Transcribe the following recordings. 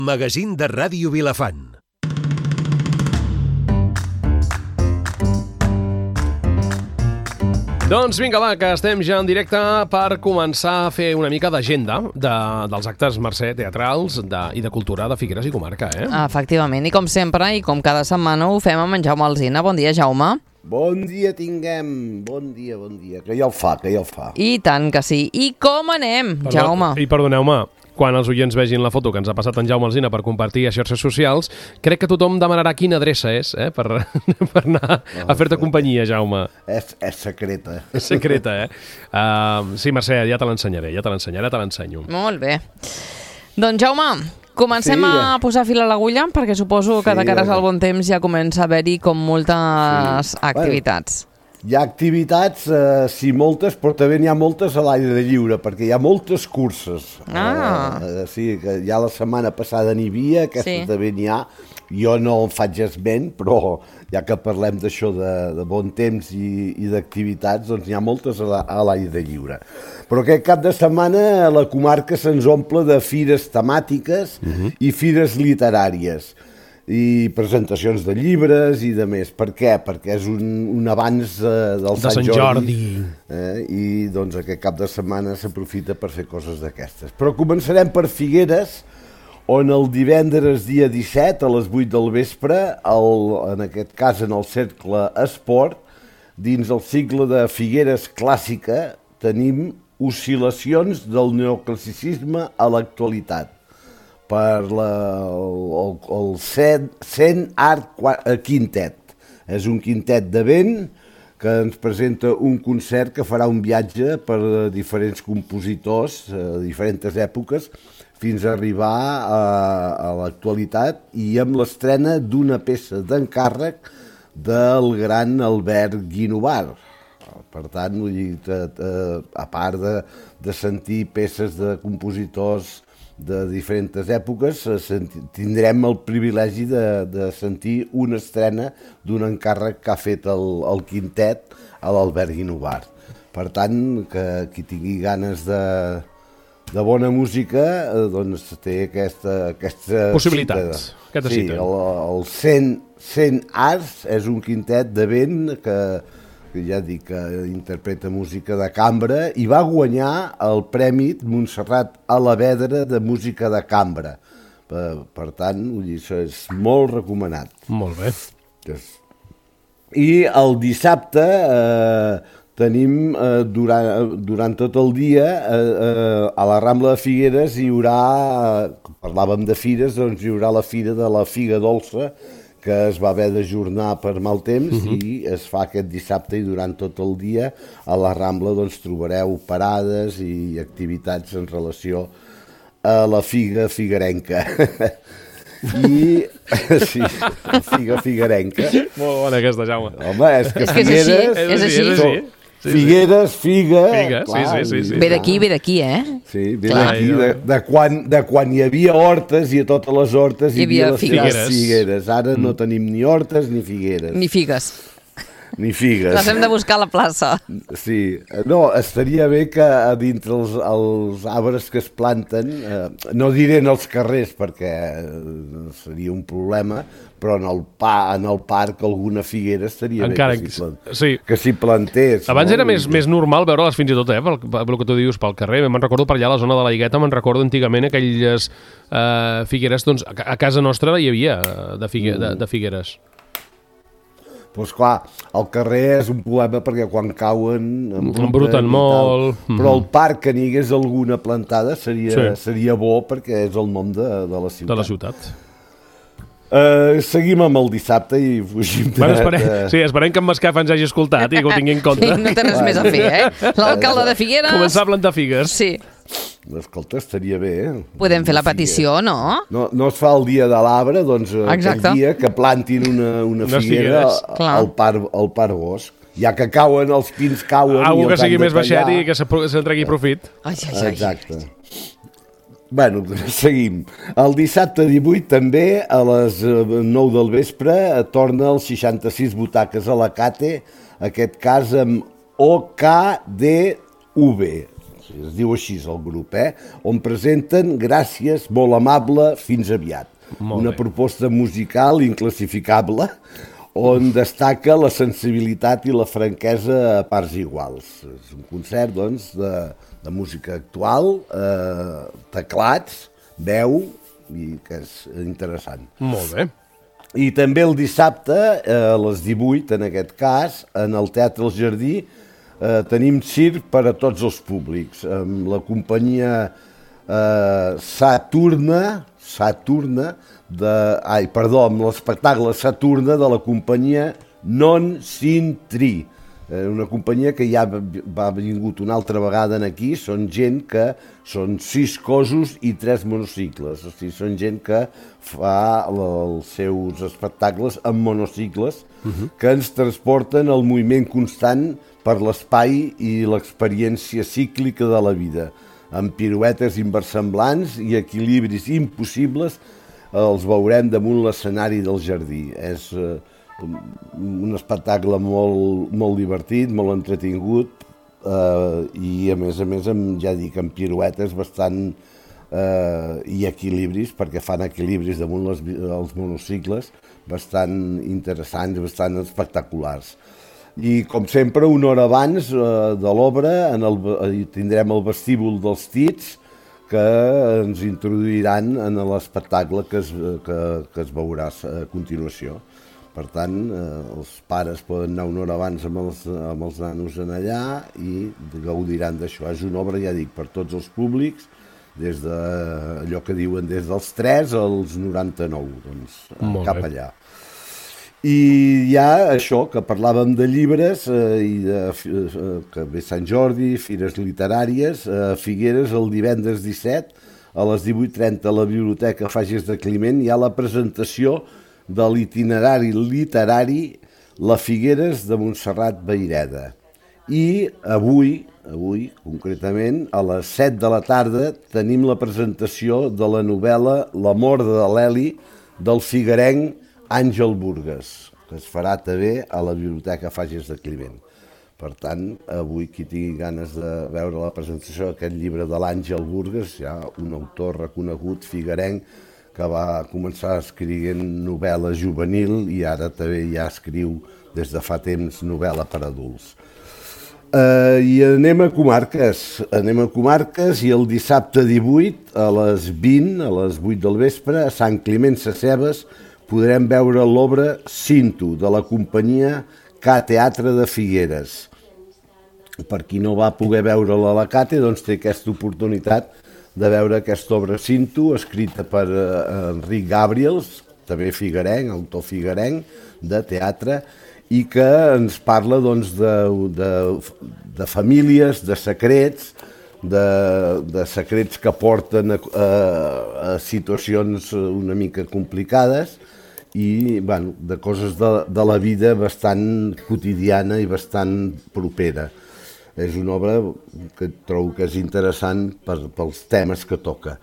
Magazín de Ràdio Vilafant. Doncs vinga, va, que estem ja en directe per començar a fer una mica d'agenda dels actes, Mercè, teatrals i de cultura de Figueres i comarca, eh? Efectivament, i com sempre, i com cada setmana ho fem amb en Jaume Alsina. Bon dia, Jaume. Bon dia tinguem, bon dia, que ja el fa. I tant que sí. I com anem, Jaume? I perdoneu-me, quan els oients vegin la foto que ens ha passat en Jaume Alsina per compartir a xarxes socials, crec que tothom demanarà quina adreça és, per anar a fer-te companyia, Jaume. És secreta. És secreta, eh? Sí, Mercè, ja te l'ensenyo. Molt bé. Doncs, Jaume, comencem a posar fil a l'agulla, perquè suposo que de cares al bon temps ja comença a haver-hi com moltes activitats. Hi ha activitats, sí, moltes, però també n'hi ha moltes a l'aire lliure, perquè hi ha moltes curses. Sí, que ja la setmana passada n'hi havia, aquesta també n'hi ha. Jo no en faig esment, però ja que parlem d'això de bon temps i d'activitats, doncs n'hi ha moltes a l'aire lliure. Però aquest cap de setmana la comarca se'ns omple de fires temàtiques i fires literàries, i presentacions de llibres i de més. Per què? Perquè és un abans del Sant Jordi. I doncs aquest cap de setmana s'aprofita per fer coses d'aquestes. Però començarem per Figueres, on el divendres dia 17 a les 8 del vespre, en aquest cas en el Cercle Esport, dins el cicle de Figueres Clàssica, tenim oscil·lacions del neoclassicisme a l'actualitat, per el Cent Art Quintet. És un quintet de vent que ens presenta un concert que farà un viatge per diferents compositors a diferents èpoques fins a arribar a l'actualitat i amb l'estrena d'una peça d'encàrrec del gran Albert Guinovar. Per tant, a part de sentir peces de compositors de diferents èpoques, tindrem el privilegi de sentir una estrena d'un encàrrec que ha fet el quintet a l'Albert Guinovar. Per tant, que qui tingui ganes de bona música, doncs té aquesta possibilitats. Sí, el Cent Arts és un quintet de vent que ja dic que interpreta música de cambra i va guanyar el Premi Montserrat Alavedra de música de cambra. Per tant, això és molt recomanat. Molt bé. I el dissabte tenim, durant tot el dia, a la Rambla de Figueres hi haurà, parlàvem de fires, doncs hi haurà la fira de la figa dolça, que es va haver d'ajornar per mal temps i es fa aquest dissabte i durant tot el dia a la Rambla doncs trobareu parades i activitats en relació a la figa figuerenca. Sí, la figa figuerenca. Molt bona aquesta, Jaume. Home, és que Figueres... És així. Figueres, figa... Sí. Ve d'aquí, eh? Sí, ve d'aquí, de quan hi havia hortes i a totes les hortes hi havia les figueres. Ara no tenim ni hortes ni figueres. Ni figues. Ni figues. Les hem de buscar a la plaça. Sí, no, estaria bé que dintre els arbres que es planten, no diré en els carrers perquè seria un problema, però en el parc alguna figuera estaria encara bé que s'hi plantés. Abans era més normal veure-les fins i tot, pel que tu dius, pel carrer. Me'n recordo per allà a la zona de la Higueta, me'n recordo antigament aquelles figueres, doncs a casa nostra hi havia de figueres. Doncs clar, al carrer és un problema perquè quan cauen embruten molt. Però al parc que n'hi hagués alguna plantada seria bo perquè és el nom de la ciutat. De la ciutat. Seguim amb el dissabte i fugim esperem que en Mascaf ens hagi escoltat i que ho tingui en compte. No té res més a fer, L'alcalde de Figueres... Començar a plantar figues. Sí. Escolta, estaria bé, Podem fer la petició, no? No es fa el dia de l'arbre, doncs aquell dia que plantin una figuera al Parc Bosc. Ja que cauen, els pins cauen... Algú que sigui més baixet i que se'n tregui profit. Exacte. Bueno, seguim. El dissabte 18 també, a les 9 del vespre, torna els 66 butaques a la Cate, aquest cas amb OKDV. es diu així el grup, on presenten Gràcies, molt amable, fins aviat. Una proposta musical inclassificable on destaca la sensibilitat i la franquesa a parts iguals. És un concert, doncs, de música actual, teclats, veu, i que és interessant. Molt bé. I també el dissabte, a les 18, en aquest cas, en el Teatre El Jardí, tenim circ per a tots els públics, amb la companyia amb l'espectacle Saturna de la companyia Non Sin Tri, una companyia que ja va vingut una altra vegada aquí. Són gent que són 6 cossos i 3 monocicles, o sigui, són gent que fa els seus espectacles amb monocicles que ens transporten al moviment constant per l'espai i l'experiència cíclica de la vida, amb piruetes inversemblants i equilibris impossibles. Els veurem damunt l'escenari del Jardí. És un espectacle molt divertit, molt entretingut, i a més, ja dic, amb piruetes bastant i equilibris, perquè fan equilibris damunt els monocicles bastant interessants, bastant espectaculars. I, com sempre, una hora abans de l'obra tindrem el vestíbul dels Tits, que ens introduiran en l'espectacle que es veurà a continuació. Per tant, els pares poden anar una hora abans amb els nanos allà i gaudiran d'això. És una obra, ja dic, per tots els públics, des d'allò que diuen des dels 3 als 99, doncs cap allà. I ja això, que parlàvem de llibres, que ve Sant Jordi, fires literàries, a Figueres el divendres 17, a les 18:30 a la Biblioteca Fages de Climent hi ha la presentació de l'itinerari literari La Figueres de Montserrat Vayreda. I avui, concretament, a les 7 de la tarda, tenim la presentació de la novel·la L'amor de l'Eli del figuerenc Àngel Burgues, que es farà també a la Biblioteca Fages de Climent. Per tant, avui qui tingui ganes de veure la presentació d'aquest llibre de l'Àngel Burgues, hi ha un autor reconegut figuerenc que va començar escrivint novel·la juvenil i ara també ja escriu des de fa temps novel·la per adults. I anem a comarques i el dissabte 18 a les 20, a les 8 del vespre, a Sant Climent Sescebes, podrem veure l'obra Cinto, de la companyia K-Teatre de Figueres. Per qui no va poder veure-la a la Cate, doncs té aquesta oportunitat de veure aquesta obra Cinto, escrita per Enric Gabriels, també figuerenc, autor figuerenc, de teatre, i que ens parla doncs, de famílies, de secrets, de secrets que porten a situacions una mica complicades, i de coses de la vida bastant quotidiana i bastant propera. És una obra que trobo que és interessant pels temes que toca.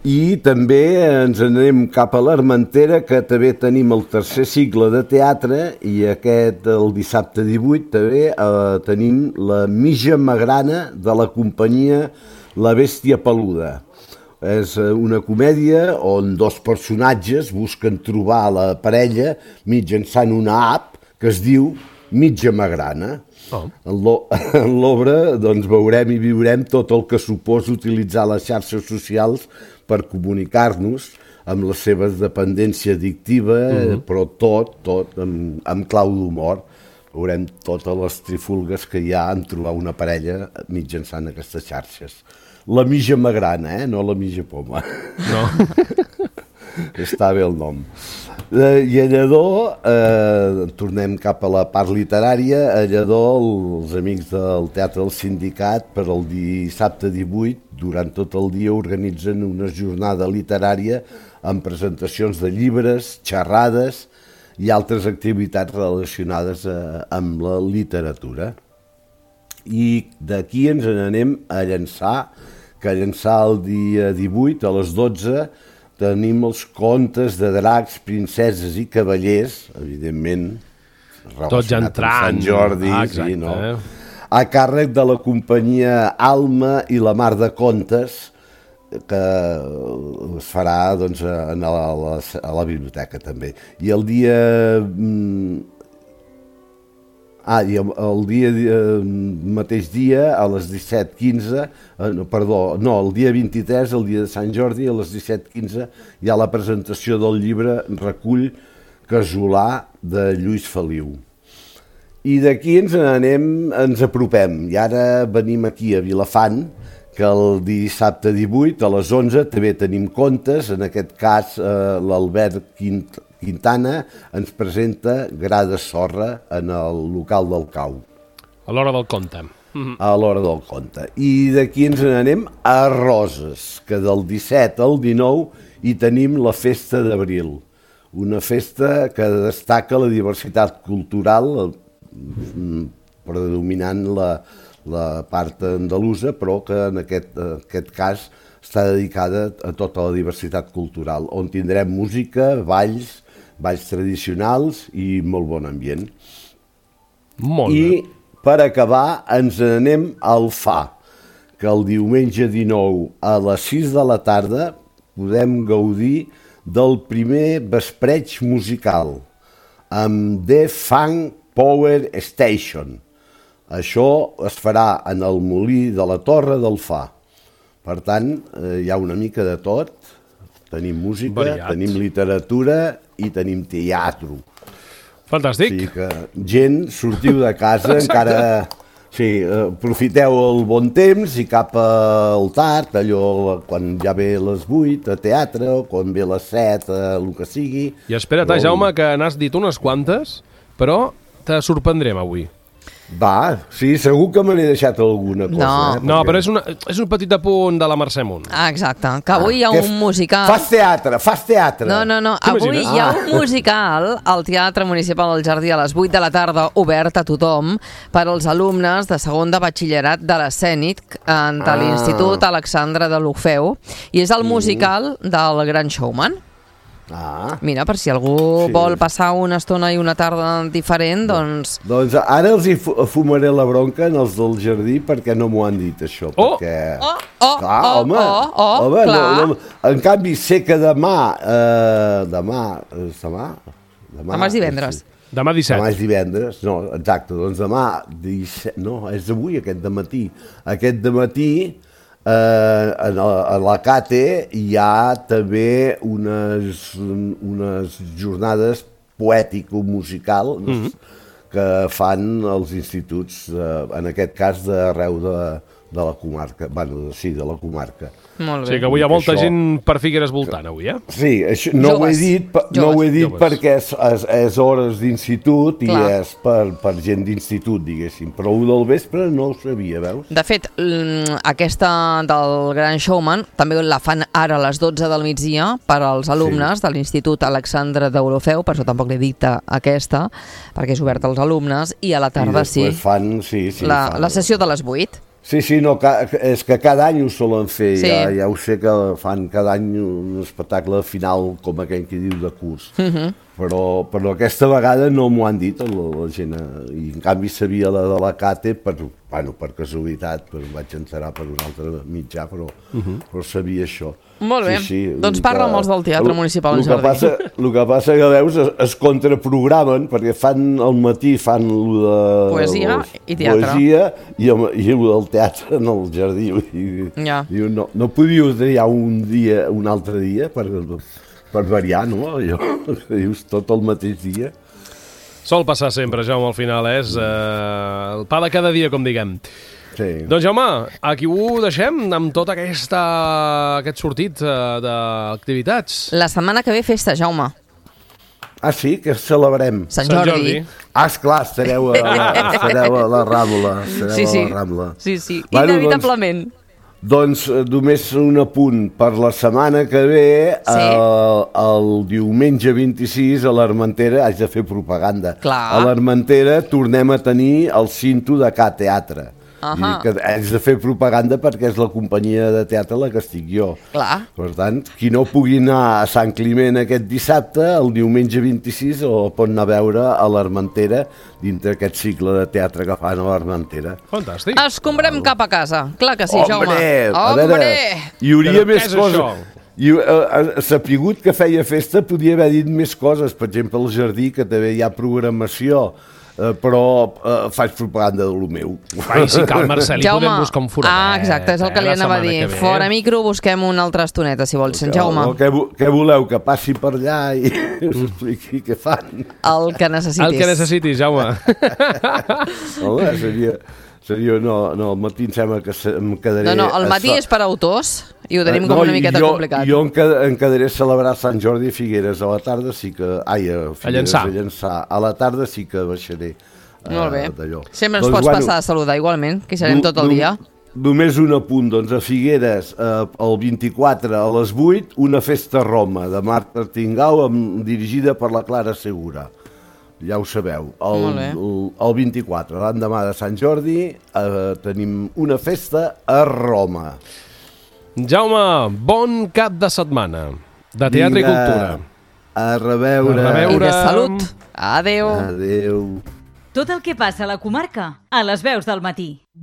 I també ens anem cap a l'Armentera, que també tenim el tercer cicle de teatre, i el dissabte 18 també tenim la Mija Magrana de la companyia La Bèstia Peluda. És una comèdia on 2 personatges busquen trobar la parella mitjançant una app que es diu Mitja Magrana. En l'obra doncs, veurem i viurem tot el que suposa utilitzar les xarxes socials per comunicar-nos amb la seva dependència addictiva, però tot amb clau d'humor. Veurem totes les trifulgues que hi ha en trobar una parella mitjançant aquestes xarxes. La Mija Magrana, no la Mija Poma. No. Està bé el nom. I a Lledó, tornem cap a la part literària, a Lledó els amics del Teatre del Sindicat per el dissabte 18, durant tot el dia organitzen una jornada literària amb presentacions de llibres, xerrades i altres activitats relacionades amb la literatura. I d'aquí ens n'anem a Llançà, que a Llançà el dia 18 a les 12 tenim els contes de dracs, princeses i cavallers, evidentment, tots ja entrant. Sant Jordi, exacte, sí, no? a càrrec de la companyia Alma i la Mar de Contes, que es farà doncs, a la biblioteca també. I el dia... mateix dia, a les 17:15, el dia 23, el dia de Sant Jordi, a les 17:15, hi ha la presentació del llibre Recull Casolà de Lluís Feliu. I d'aquí ens apropem, i ara venim aquí a Vilafant, que el dissabte 18 a les 11 també tenim contes, en aquest cas l'Albert Quintana ens presenta Gra de sorra en el local del Cau. A l'hora del conte. A l'hora del conte. I d'aquí ens n'anem a Roses, que del 17 al 19 hi tenim la Festa d'Abril, una festa que destaca la diversitat cultural, predominant la part andalusa, però que en aquest cas està dedicada a tota la diversitat cultural, on tindrem música, balls tradicionals i molt bon ambient. Molt bé. I per acabar ens n'anem al Fa, que el diumenge 19 a les 6 de la tarda podem gaudir del primer vespreig musical amb The Funk Power Station. Això es farà en el Molí de la Torre del Fa. Per tant, hi ha una mica de tot. Tenim música, variat. Tenim literatura i tenim teatre. Fantàstic. O sigui que, gent, sortiu de casa, encara... Sí, aprofiteu el bon temps i cap al tard, allò quan ja ve les 8 a teatre, o quan ve les 7 el que sigui. I espera't, Jaume, que n'has dit unes quantes, però te sorprendrem avui. Va, sí, segur que me n'he deixat alguna cosa. No, però és un petit apunt de la Mercè Munt. Ah, exacte, que avui hi ha un musical... Fas teatre. No, avui hi ha un musical al Teatre Municipal del Jardí a les 8 de la tarda, obert a tothom, per als alumnes de segon de batxillerat de l'Escènic de l'Institut Alexandre de l'Orfeu, i és el musical del Gran Showman. Mira, per si algú vol passar una estona i una tarda diferent, doncs... Doncs ara els hi fumaré la bronca en els del jardí perquè no m'ho han dit, això. Perquè... En canvi, sé que demà és divendres. Demà 17. Demà és divendres, no, exacte, doncs demà 17, no, és avui aquest dematí. Aquest dematí a la CATE hi ha també unes jornades poètico-musicals que fan els instituts, en aquest cas d'arreu de la comarca, de la comarca. Molt bé. Sí, que avui hi ha molta gent per Figueres voltant, avui, eh? Sí, això, no ho he dit perquè és hores d'institut i és per gent d'institut, diguéssim. Però un del vespre no ho sabia, veus? De fet, aquesta del Gran Showman també la fan ara a les 12 del migdia per als alumnes de l'Institut Alexandre d'Orfeu, per això tampoc l'he dit aquesta, perquè és obert als alumnes, i a la tarda fan la sessió de les 8. Sí, no, és que cada any ho solen fer, ja ho sé que fan cada any un espectacle final com aquell que diu de curs, però aquesta vegada no m'ho han dit la gent, i en canvi sabia la de la CATE per casualitat, però vaig enterar per un altre mitjà, però sabia això. Molt bé, doncs parla amb els del Teatre Municipal del Jardí. El que passa que, veus, es contraprogramen, perquè al matí fan de poesia i teatre. I el del teatre en el jardí. No podíeu triar un altre dia per variar, no? Allò que dius tot el mateix dia. Sol passar sempre, Jaume, al final és el pa de cada dia, com diguem. Sí. Doncs, Jaume, aquí ho deixem amb tot aquest sortit d'activitats. La setmana que ve festa, Jaume. Ah, sí? Que celebrem? Sant Jordi. Esclar, estareu a la Rambla. Sí, inevitablement. Doncs només un apunt. Per la setmana que ve, el diumenge 26, a l'Armentera, haig de fer propaganda. Clar. A l'Armentera tornem a tenir el cinto de Ca Teatre. Ahà. I que haig de fer propaganda perquè és la companyia de teatre la que estic jo. Clar. Per tant, qui no pugui anar a Sant Climent aquest dissabte, el diumenge 26 el pot anar a veure a l'Armentera, dintre aquest cicle de teatre que fan a l'Armentera. Fantàstic. Escombrem cap a casa. Clar que sí, Jaume. A veure, hi hauria Però més què és coses. això? I sapigut que feia festa, podia haver dit més coses. Per exemple, al jardí, que també hi ha programació, però faig propaganda del meu. Ai, si cal, Marcelí, Jaume. podem buscar un foradet. Exacte, és el que li la anava a setmana dir. que ve. Fora micro, busquem una altra estoneta, si vols, Sant Jaume. Què voleu? Que passi per allà i us expliqui què fan? El que necessitis. El que necessitis, Jaume. Home, seria no, al matí em sembla que em quedaré... No, el matí és per autors i ho tenim com una miqueta complicat. Jo em quedaré a celebrar Sant Jordi a Figueres a la tarda, sí que... Ai, a Figueres, a Llançà. A la tarda sí que baixaré Molt bé. d'allò. Sempre ens pots passar a saludar igualment, que hi serem tot el dia. Només un apunt, doncs a Figueres, el 24 a les 8, una festa a Roma de Marc Artingau dirigida per la Clara Segura. Ja ho sabeu, el 24, l'endemà de Sant Jordi, tenim una festa a Roma. Jaume, bon cap de setmana de teatre i cultura. A reveure. I de salut. Adéu. Adéu. Tot el que passa a la comarca, a les veus del matí.